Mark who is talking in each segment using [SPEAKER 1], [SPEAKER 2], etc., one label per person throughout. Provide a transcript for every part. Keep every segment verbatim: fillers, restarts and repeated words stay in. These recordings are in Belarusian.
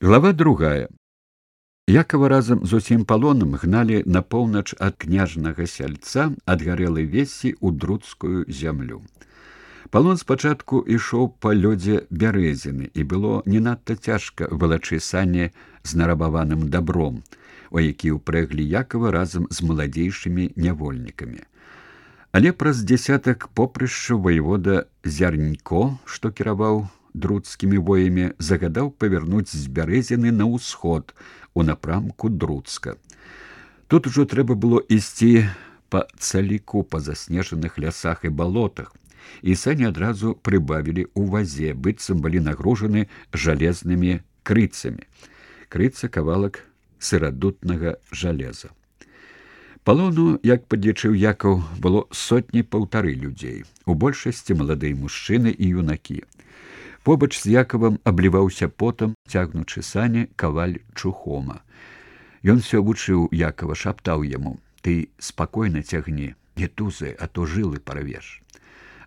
[SPEAKER 1] Глава другая. Якова разам з усім палонам гналі на поўнач ад княжнага сяльца ад гарэлай весі ў друцкую зямлю. Палон спачатку ішоў па лёдзе бярэзіны, і было не надта цяжка валачы сані з нарабаваным дабром, у які ўпрэглі Якова разам з маладзейшымі нявольнікамі. Але праз дзясятак попрышчаў ваявода Зярнько, што кіраваў друцкімі воямі, загадаў павярнуць з бярэзіны на ўсход у напрамку Друцка. Тут ужо трэба было ісці па цаліку па заснежаных лясах і балотах, і сані адразу прыбавілі ў вазе, быццам былі нагружаны жалезнымі крыцамі. Крыца кавалак сырадутнага жалеза. Палону, як падлічыў Якаў, было сотні паўтары людзей, у большасці маладыя мужчыны і юнакі. Побач з Якавам абліваўся потам, цягнучы сані, каваль Чухома. Ён усё вучыў Якава, шаптаў яму: «Ты спакойна цягні, не тузай, а то жылы парвеш.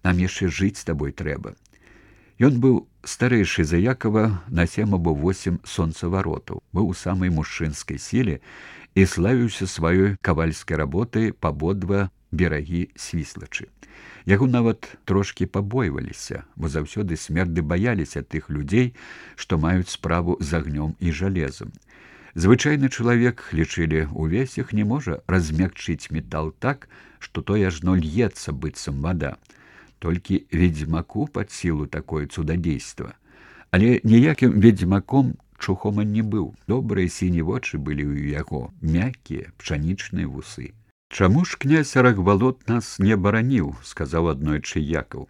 [SPEAKER 1] Нам яшчэ жыць з табой трэба». Ён быў старэйшы за Якава на сем або восем сонцаваротаў, быў у самай мужчынскай сіле і славіўся сваёй кавальскай работай па абодва берагі Свіслачы. Яго нават трошкі пабойваліся, бо заўсёды смерды баяліся тых людзей, што маюць справу з агнём і жалезам. Звычайны чалавек, лічылі, увесь іх не можа размякчыць метал так, што той ажно льецца быццам вада. Толькі ведзьмаку пад сілу такое цудадзейства. Але ніякім ведзьмаком Чухома не быў. Добрыя сіні вочы былі ў яго, мяккія, пшанічныя вусы. «Чаму ж князь Рагвалод нас не бараніў?» – сказаў аднойчы Якаў.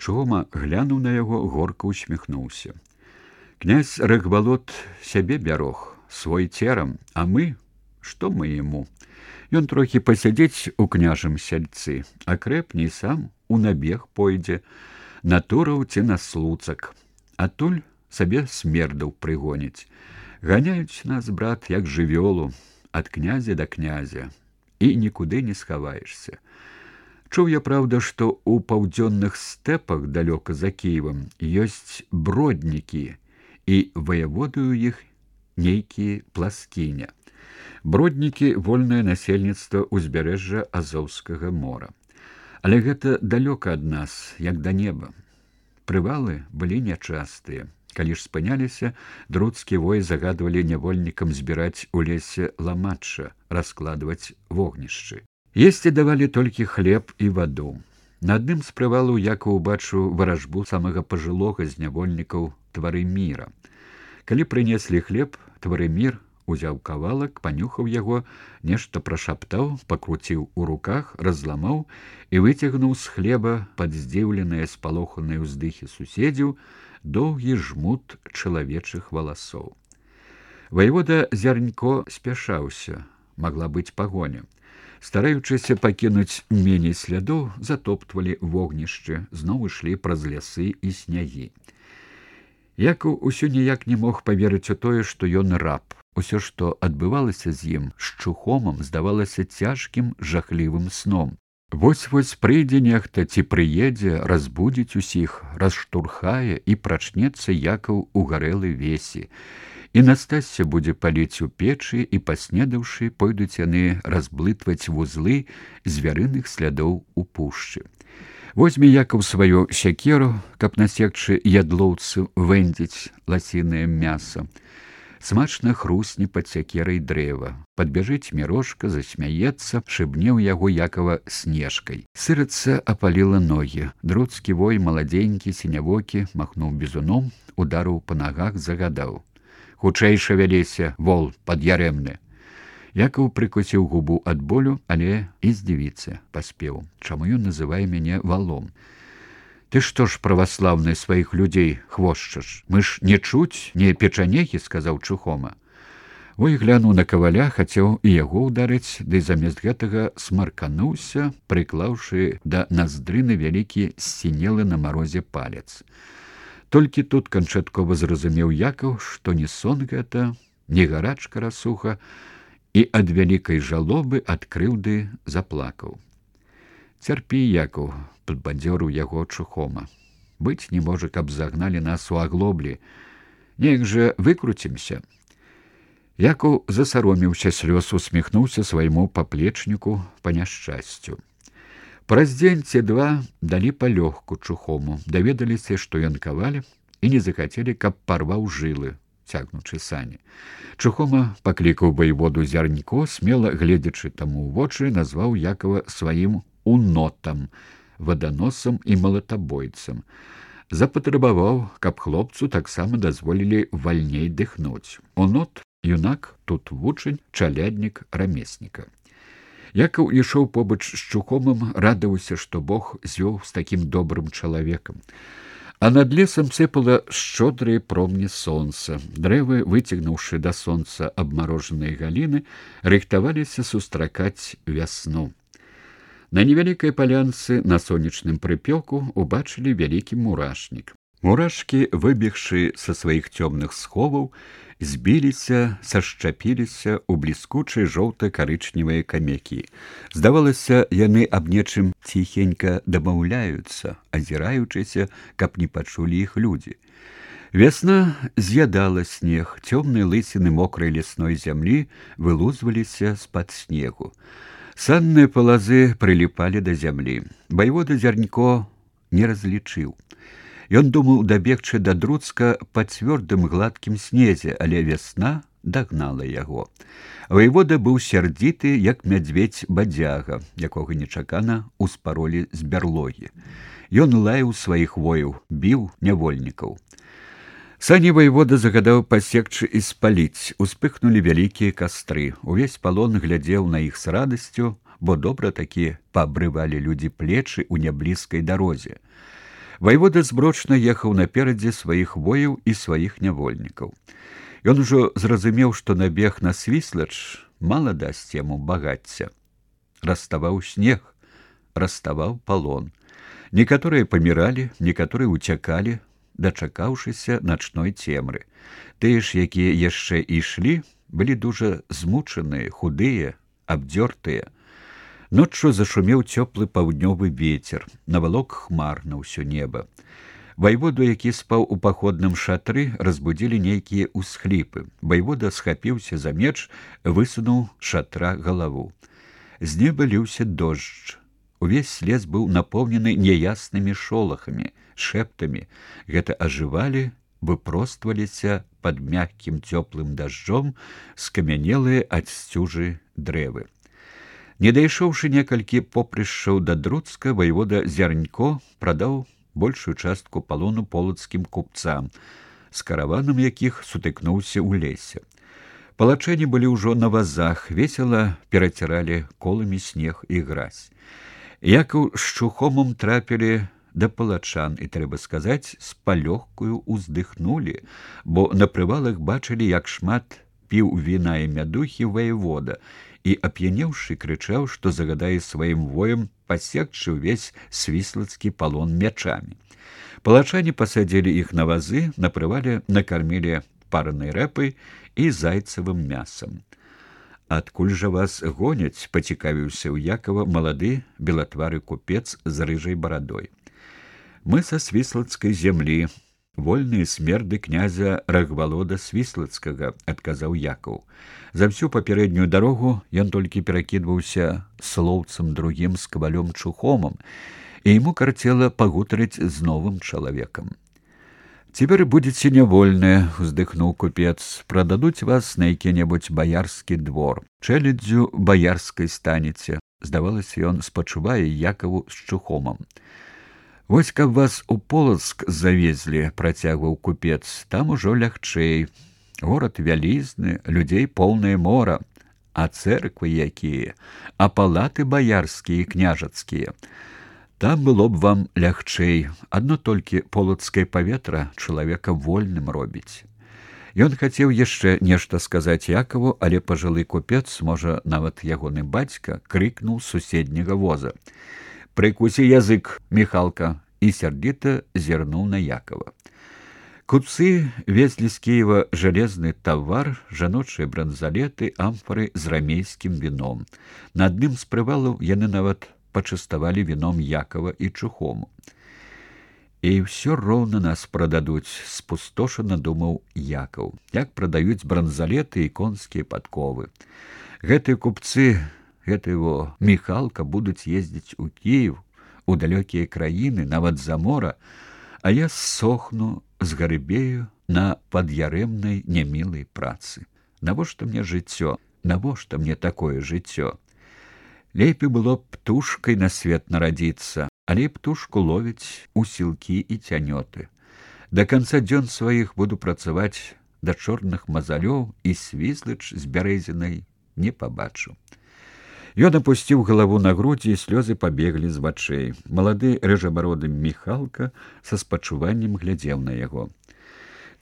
[SPEAKER 1] Чухома глянуў на яго, горка усміхнуўся. «Князь Рагвалод сябе бярог, свой церам, а мы? Што мы яму? Ён трохі пасядзець у княжым сяльцы, а крэпней сам у набег пойдзе, на тураў ці на слуцак. Адтуль сабе смердаў прыгоніць. Ганяюць нас, брат, як жывёлу, ад князя да князя. І нікуды не схаваешся. Чуў я, праўда, што ў паўдзённых стэпах далёка за Кіевам ёсць броднікі, і ваяводую іх нейкі пласкіня. Броднікі — вольнае насельніцтва ўзбярэжжа Азоўскага мора. Але гэта далёка ад нас, як да неба. Прывалы былі нячастыя. Калі ж спыняліся, друцкі вой загадвалі нявольнікам збіраць у лесе ламачча, раскладваць вогнішчы. Есці давалі толькі хлеб і ваду. На адным з прывалаў Якаў убачыў варажбу самага пажылога з нявольнікаў Тварыміра. Калі прынеслі хлеб, Тварымір узяў кавалак, панюхаў яго, нешта прашаптаў, пакруціў у руках, разламаў і выцягнуў з хлеба пад здзіўленыя спалоханыя ўздыхі суседзяў доўгі жмут чалавечых валасоў. Ваявода Зярнько спяшаўся, магла быць пагоня. Стараючыся пакінуць меней слядоў, затоптвалі вогнішчы, зноў ішлі праз лясы і снягі. Якаў усё ніяк не мог паверыць у тое, што ён раб. Усё, што адбывалася з ім, з Чухомам, здавалася цяжкім, жахлівым сном. Вось-вось прыйдзе нехта ці прыедзе, разбудзіць усіх, расштурхае, і прачнецца Якаў у гарэлай весі. І Настасся будзе паліць у печы, і, паснедаўшы, пойдуць яны разблытваць вузлы звярыных слядоў у пушчы. Возьме Якаў сваю сякеру, каб насекчы ядлоўцы вэндзіць ласінае мяса. Смачна хрусне пад сякерай дрэва. Падбяжыць Мірошка, засмяецца, шыбне ў яго Якава снежкай. Сырыца апаліла ногі. Друцкі вой, маладзенькі, сінявокі, махнуў бізуном, ударыў па нагах, загадаў: «Хутчэй шавяліся, вол пад'ярэмны». Якаў прыкусіў губу ад болю, але і здзівіцца паспеў. Чаму ён называе мяне валом? «Ты што ж, праваслаўны, сваіх людзей хвошчаш? Мы ж не чуць, не печанехі», – сказаў Чухома. Ой глянуў на каваля, хацеў і яго ўдарыць, ды замест гэтага смаркануўся, прыклаўшы да наздрыны вялікі сінелы на марозе палец. Толькі тут канчаткова зразумеў Якаў, што не сон гэта, не гарачка расуха, і ад вялікай жалобы, ад крыўды заплакаў. «Цярпі, Якаў», – падбадзёрыў яго Чухома. «Быць не можа, каб загналі нас у аглоблі. Неяк жа выкруцімся. Якаў засаромеўся слёз, усміхнуўся свайму паплечніку па няшчасцю. Праз дзень ці два далі палёгку Чухому, даведаліся, што ён каваль, і не захацелі, каб парваў жылы, цягнучы сані. Чухома паклікаў ваеводу Зярнько, смела гледзячы таму ў вочы, назваў Якава сваім унотам, ваданосам і малатабойцам. Запатрабаваў, каб хлопцу таксама дазволілі вальней дыхнуць. Унот — юнак, тут вучань, чаляднік рамесніка. Якаў ішоў побач з Чухомам, радаваўся, што Бог звёў з такім добрым чалавекам. А над лесам сыпала шчодрыя промні сонца. Дрэвы, выцягнуўшы да сонца абмарожаныя галіны, рыхтаваліся сустракаць вясну. На невялікай палянцы на сонечным прыпёку убачылі вялікі мурашнік. Мурашкі, выбегшы са сваіх цёмных сховаў, збіліся, сашчапіліся ў бліскучыя жоўта-карычневыя камякі. Здавалася, яны аб нечым ціхенька дамаўляюцца, азіраючыся, каб не пачулі іх людзі. Вясна з'ядала снег, цёмныя лысіны мокрай лясной зямлі вылузваліся з-пад снегу. Санныя палазы прыліпалі да зямлі. Ваевода Зярнько не разлічыў. Ён думаў дабегчы да Друцка па цвёрдым гладкім снезе, але вясна дагнала яго. Ваевода быў сярдзіты, як мядзведзь-бадзяга, якога нечакана ўспаролі з бярлогі. Ён лаяў сваіх вояў, біў нявольнікаў. Сані ваевода загадаў пасекчы і спаліць. Успыхнулі вялікія кастры. Увесь палон глядзеў на іх з радасцю, бо добра такі паабрывалі людзі плечы ў няблізкай дарозе. Ваевода зброчна ехаў наперадзе сваіх вояў і сваіх нявольнікаў. Ён ужо зразумеў, што набег на Свіслач мала дасць яму багацця. Раставаў снег, раставаў палон. Некаторыя паміралі, некаторыя ўцякалі, дачакаўшыся начной цемры. Тыя ж, якія яшчэ ішлі, былі дужа змучаныя, худыя, абдзёртыя. Ноччу зашумеў цёплы паўднёвы вецер, навалок хмар на ўсё неба. Ваеводу, які спаў у паходным шатры, разбудзілі нейкія ўсхліпы. Ваевода схапіўся за меч, высунуў шатра галаву. З неба ліўся дождж. Увесь лес быў напоўнены няяснымі шолахамі, шэптамі. Гэта ажывалі, выпростваліся пад мяккім цёплым дажджом скамянелыя ад сцюжы дрэвы. Не дайшоўшы некалькі попрышчаў да Друцка, ваевода Зярнько прадаў большую частку палону полацкім купцам, з караванам якіх сутыкнуўся ў лесе. Палачэні былі ўжо на вазах, весела пераціралі коламі снег і гразь. Якаў з Чухомам трапілі да палачан, і, трэба сказаць, з палёгкаю ўздыхнулі, бо на прывалах бачылі, як шмат піў віна і мядухі ваевода, і, ап'янеўшы, крычаў, што загадае сваім воям пасекчы ўвесь свіслацкі палон мячамі. Палачане пасадзілі іх на вазы, на прывале накармілі паранай рэпай і зайцавым мясам. «Адкуль жа вас гоняць?» — пацікавіўся ў Якава малады белатвары купец з рыжай барадой. «Мы са свіслацкай зямлі, вольныя смерды князя Рагвалода Свіслацкага», — адказаў Якаў. За всю папярэднюю дарогу ён толькі перакідваўся слоўцам другім з кавалём Чухомам, і яму карцела пагутарыць з новым чалавекам. «Цяпер будзеце нявольныя», — уздыхнуў купец, — «прададуць вас на які-небудзь баярскі двор. Чэляддзю баярскай станеце». Здавалася, ён спачувае Якаву з Чухомам. «Вось каб вас у Полацк завезлі», — працягваў купец, — «там ужо лягчэй. Горад вялізны, людзей поўнае мора, а цэрквы якія, а палаты баярскія і княжацкія. Там было б вам лягчэй, адно толькі полацкае паветра чалавека вольным робіць». Ён хацеў яшчэ нешта сказаць Якаву, але пажылы купец, можа, нават ягоны бацька, крыкнуў з суседняга воза: «Прыкусі язык, Міхалка!» і сярдзіта зірнуў на Якава. Купцы везлі з Кіева жалезны тавар, жаночыя бранзалеты, амфары з рамейскім віном. На адным з прывалаў яны нават пачаставалі віном Якава і Чухому. І ўсё роўна нас прададуць, спустошана думаў Якаў, як прадаюць бранзалеты і конскія падковы. Гэтыя купцы, гэты его Міхалка будуць ездзіць у Кіев, у далёкія краіны, нават за мора, а я сохну, згарыбею на пад'ярэмнай нямілай працы. Навошта мне жыццё? Навошта мне такое жыццё? Лепей было б птушкай на свет нарадзіцца, але птушку ловіць у сілкі і цянёты. Да канца дзён сваіх буду працаваць да чорных мазалёў і свізлач з бярэзінай не пабачу. Ён апусціў галаву на грудзі, і слёзы пабеглі з вачэй. Малады рыжабароды Міхалка са спачуваннем глядзеў на яго.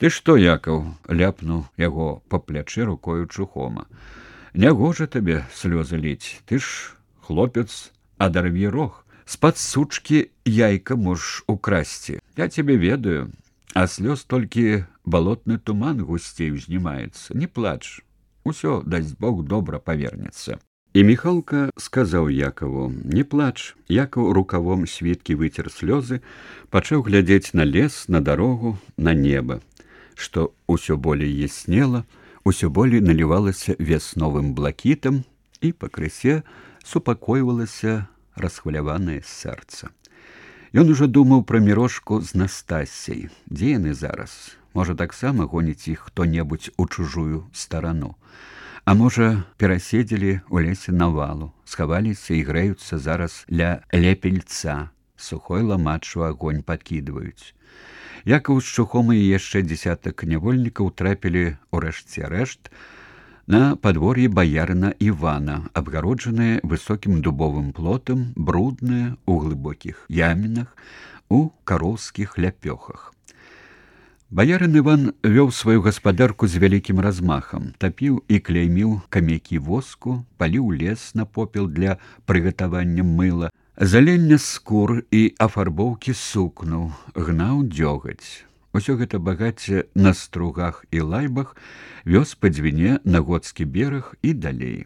[SPEAKER 1] «Ты што, Якаў?» — ляпнуў яго па плячы рукою Чухома. «Нягожа табе слёзы ліць, ты ж хлопец, адарві рог. З-пад сучкі яйка можаш украсці. Я цябе ведаю, а слёз толькі балотны туман гусцей узнімаецца. Не плач, усё, дасць Бог, добра павернецца». І Міхалка сказаў Якаву: «Не плач». Якаў рукавом світкі выцер слёзы, пачаў глядзець на лес, на дарогу, на неба, што ўсё болей яснела, усё болей налівалася вясновым блакітам, і пакрысе супакойвалася расхваляванае сэрца. Ён ужо думаў пра Мірошку з Настасяй. Дзе яны зараз? Можа, таксама гоніць іх хто-небудзь у чужую старану. А можа, пераседзелі ў лесе навалу, схаваліся і грэюцца зараз ля лепельца, сухой ламачу агонь падкідваюць. Якаў з Чухомай і яшчэ дзесятак нявольнікаў трапілі ў рэшце рэшт на падвор'е баярына Івана, абгароджанае высокім дубовым плотам, бруднае ў глыбокіх ямінах, у кароўскіх ляпёхах. Баярын Іван вёў сваю гаспадарку з вялікім размахам, тапіў і кляйміў камякі воску, паліў лес на попел для прыгатавання мыла, залення скур і афарбоўкі сукну, гнаў дзёгаць. Усё гэта багацце на стругах і лайбах вёз па дзвіне на Гоцкі бераг і далей.